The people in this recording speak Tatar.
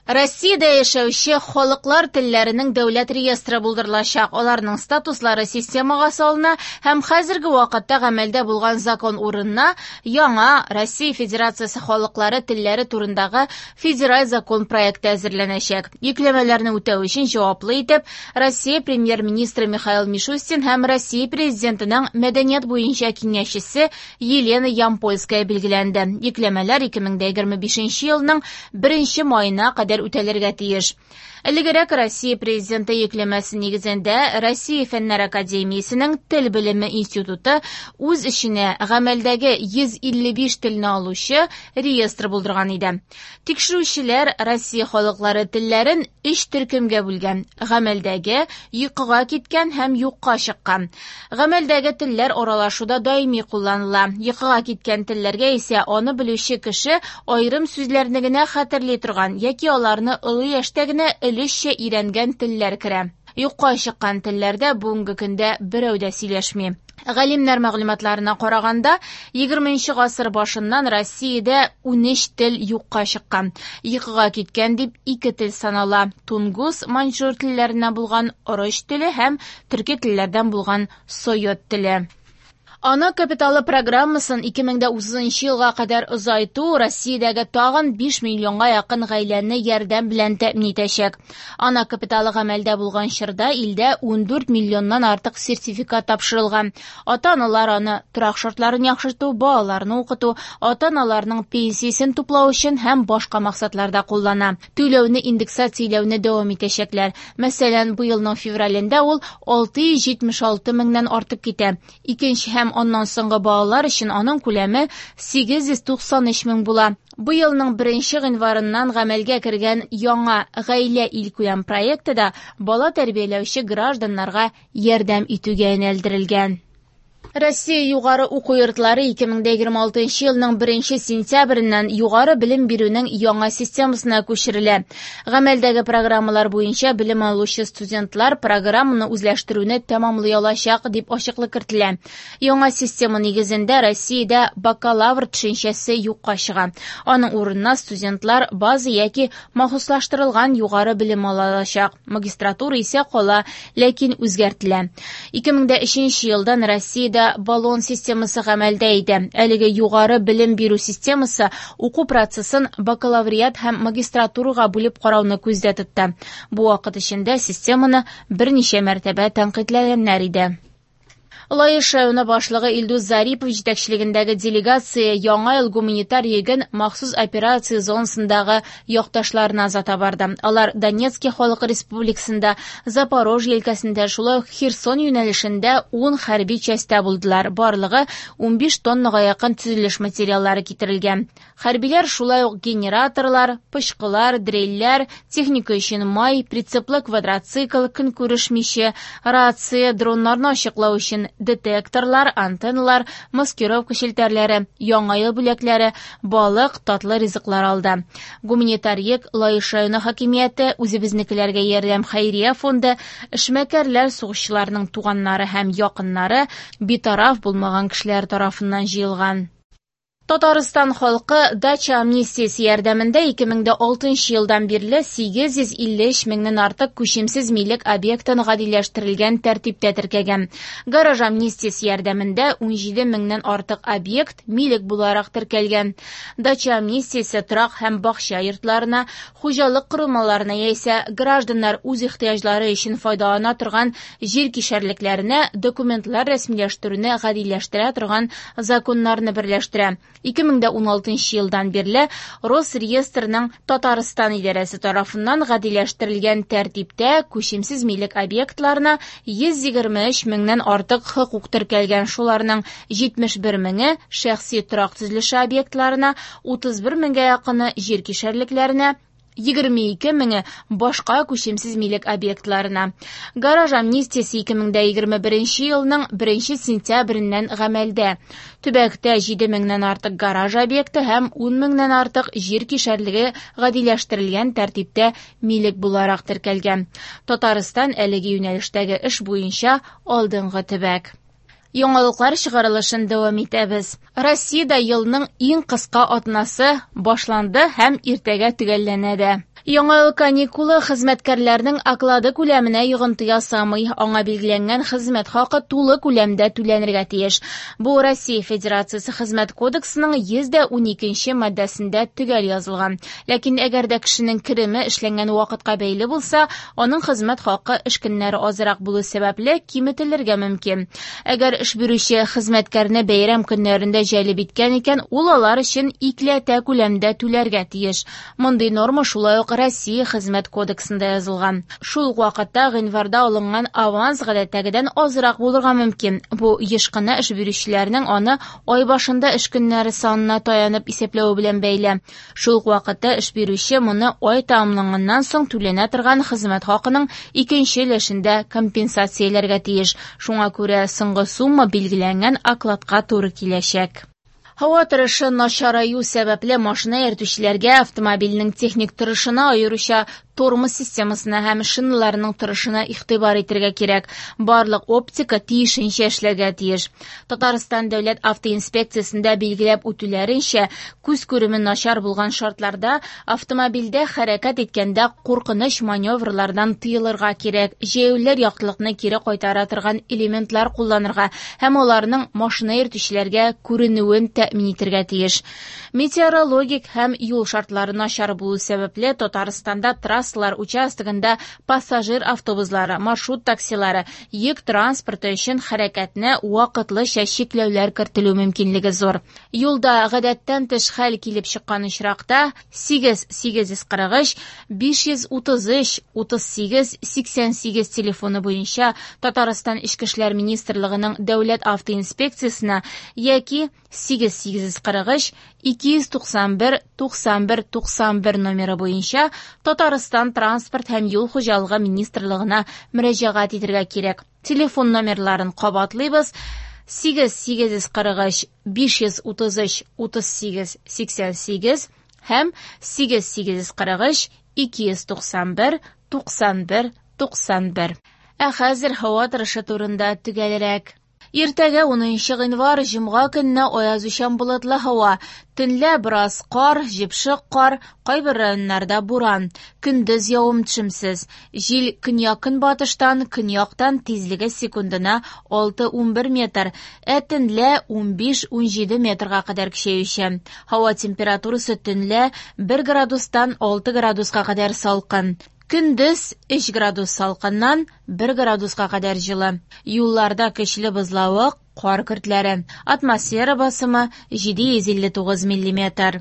Россиядә яшәүче халыклар телләренең дәүләт реестры булдырылачак. Аларның статуслары системага салына һәм хәзерге вакытта гамәлдә булган закон урынына яңа Россия Федерациясе халыклары телләре турындагы федераль закон проекты әзерләнәчәк. Йөкләмәләрне үтәү өчен җаваплы итеп Россия премьер-министры Михаил Мишустин һәм Россия президентының мәдәният буенча киңәшчесе Елена Ямпольская билгеләнде. Йөкләмәләр 2025 елның 1 маена кадәр үтәлергә тиеш. Элегрәк Россия президенты йөкләмәсе нигезендә Россия Фәннәр академиясенең Тел белеме институты үз эченә гамәлдәге 155 телне алучы реестр булдырган иде. Тикшерүчеләр Россия халыклары телләрен өч төркемгә бүлгән: гамәлдәге, йокыга киткән һәм юкка чыккан. Гамәлдәге телләр аралашуда даими кулланыла. Йокыга киткән телләргә исә аны белүче кеше аерым сүзләрне генә хәтерли торган яки аларны олы яшьтә генә өлешчә өйрәнгән телләр керә. Юкка чыккан телләрдә бүгенге көндә берәү дә сөйләшми. Галимнәр мәгълүматларына караганда, 20 гасыр башыннан Россиядә 13 тел юкка чыккан. Йокыга киткән дип ике тел санала: тунгус, маньчжур телләреннән булган ороч теле һәм төрки телләрдән булган сойот теле. Ана капиталы программасын 2030 елга кадәр озайту Россиядәге тагын 5 миллионга якын гаиләне ярдәм белән тәэмин итәчәк. Ана капиталы гамәлдә булган чорда илдә 14 миллионнан артык сертификат тапшырылган. Ата-аналар аны торак шартларын яхшырту, балаларны укыту, ата-аналарның пенсиясен туплау өчен һәм башка максатларда куллана. Түләүне индексацияләүне дәвам итәчәкләр. Мәсәлән, быелның февралендә ул 676 меңнән артып китә. Икенче һәм аннан соңгы балалар өчен аның күләме 893 мең була. Быелның 1 гыйнварыннан гамәлгә кергән яңа Гаилә илкүләм проекты да бала тәрбияләүче гражданнарга ярдәм итүгә юнәлдерелгән. Россия югары уку йортлары 2026 елның 1 сентябреннән югары белем бирүнең яңа системасына күчерелә. Гамәлдәге программалар буенча белем алучы студентлар программаны үзләштерүне тәмамлый алачак, дип ачыклык кертелә. Яңа система нигезендә Россиядә бакалавр төшенчәсе юкка чыга. Аның урынына студентлар база яки махсуслаштырылган югары белем ала алачак. Магистратура исә кала, ләкин үзгәртелә. 2003 елдан Россиядә Болон системасы гамәлдә иде. Әлеге югары белем бирү системасы уку процессын бакалавриат һәм магистратурага бүлеп карауны күздә тотты. Бу вакыт эчендә системаны берничә мәртәбә тәнкыйтьләгәннәр иде. Лаеш районы башлыгы Илдус Зарипов җитәкчелегендәге делегация Яңа ел гуманитар йөген махсус операция зонасындагы якташларына озата барды. Алар Донецки халык республикасында, Запорожье өлкәсендә, шулай ук Херсон юнәлешендә 10 хәрби частьтә булдылар. Барлыгы 15 тоннага якын төзелеш материаллары китерелгән. Хәрбиләр шулай ук генераторлар, пычкылар, дрельләр, техника өчен май, прицеплы квадроцикл, көнкүреш миче, рация, дроннарны ачыклау өчен детекторлар, антенналар, маскировка челтәрләре, яңа ел бүләкләре, балык, татлы ризыклар алды. Гуманитар йөк Лаеш районы хакимияте, үзебезнекеләргә ярдәм хәйрия фонды, эшмәкәрләр, сугышчыларның туганнары һәм якыннары, битараф булмаган кешеләр тарафыннан җыелган. Татарстан халкы дача амнистиясе ярдәмендә 2006 елдан бирле 853 меңнән артык күчемсез милек объектын гадиләштерелгән тәртиптә теркәгән. Гараж амнистиясе ярдәмендә 17 меңнән артык объект милек буларак теркәлгән. Дача амнистиясе торак һәм бакча йортларына, хуҗалык корылмаларына яисә гражданнар үз ихтыяҗлары өчен файдалана торган җир кишәрлекләренә документлар рәсмиләштерүне гадиләштерә торган законнарны берләштерә. 2016 елдан бирле Росреестрның Татарстан идарәсе тарафыннан гадиләштерелгән тәртиптә күчемсез милек объектларына 123 меңнән артык хокук теркәлгән. Шуларның 71 меңе шәхси торак төзелеше объектларына, 31 меңгә якыны җир кишәрлекләренә, 22 меңе башка күчемсез милек объектларына. Гараж амнистиясе 2021 елның 1 сентябреннән гамәлдә. Төбәктә 7 меңнән артык гараж объекты һәм 10 меңнән артык җир кишәрлеге гадиләштерелгән тәртиптә милек буларак теркәлгән. Татарстан әлеге юнәлештәге эш буенча алдынгы төбәк. Яңалыклар чыгарылышын дәвам итәбез. Россиядә елның иң кыска атнасы башланды һәм иртәгә төгәлләнә дә. Яңа ел каникулы хезмәткәрләрнең оклады күләменә йогынты ясамый. Аңа билгеләнгән хезмәт хакы тулы күләмдә түләнергә тиеш. Бу Россия Федерациясе Хезмәт кодексының 112 маддәсендә төгәл язылган. Ләкин әгәр дә кешенең кереме эшләнгән вакытка бәйле булса, аның хезмәт хакы эш көннәре азрак булу сәбәпле киметелергә мөмкин. Әгәр эш бирүче хезмәткәрне бәйрәм көннәрендә җәлеп иткән икән, ул алар өчен икеләтә күләмдә түләргә тиеш. Мондый норма шулай ук Россия Хезмәт кодексында язылган. Шул ук вакытта гыйнварда алынган аванс гадәттәгедән азрак булырга мөмкин. Бу еш кына эш бирүчеләрнең аны ай башында эш көннәре санына таянып исәпләве белән бәйле. Шул ук вакытта эш бирүче моны ай тәмамланганнан соң түләнә торган хезмәт хакының икенче өлешендә компенсацияләргә тиеш. Шуңа күрә соңгы сумма билгеләнгән окладка туры киләчәк. Һава торышы начараю сәбәпле машина йөртүчеләргә автомобильнең техник торышына, аеруча тормоз системасына һәм шиналарының торышына игътибар итәргә кирәк. Барлык оптика тиешенчә эшләргә тиеш. Татарстан дәүләт автоинспекциясендә билгеләп үтүләренчә, күз күреме начар булган шартларда автомобильдә хәрәкәт иткәндә куркыныч маневрлардан тыелырга кирәк. Җәяүлеләр яктылыкны кире кайтара торган элементлар кулланырга һәм аларның машина йөртүчеләргә күренүен тәэмин итәргә тиеш. Метеорологик һәм юл шартлары начар булу сәбәпле Татарстанда трассалар участогында пассажир автобуслары, маршрут таксилары, йөк транспорты өчен хәрәкәтне вакытлыча чикләүләр кертелү мөмкинлеге зур. Юлда гадәттән тыш хәл килеп чыккан очракта 8 843 533 38 88 телефоны буенча Татарстан Эчке эшләр министрлыгының дәүләт автоинспекциясенә яки 8 843 291 91 91 номеры буенча Татарстан Транспорт һәм юл хуҗалыгы министрлыгына мөрәҗәгать итәргә кирәк. Телефон номерларын кабатлыйбыз: 8 843 533 38 88 һәм 8 843 291 91 91. Ә хәзер һава торышы турында төгәлрәк. Иртәгә 10 гыйнвар җомга көнне аязучан болытлы һава. Төнлә бераз кар, җепшек кар, кайбер районнарда буран. Көндез явым-төшемсез. Җил көньяк-көнбатыштан, көньяктан тизлеге секундына 6-11 метр, ә төнлә 15-17 метрга кадәр көчәючән. Һава температурасы төнлә 1 градустан 6 градуска кадәр салкын. Көндез 3 градус салкыннан 1 градуска кадәр җылы. Юлларда көчле бозлавык, кар көртләре. Атмосфера басымы 759 миллиметр.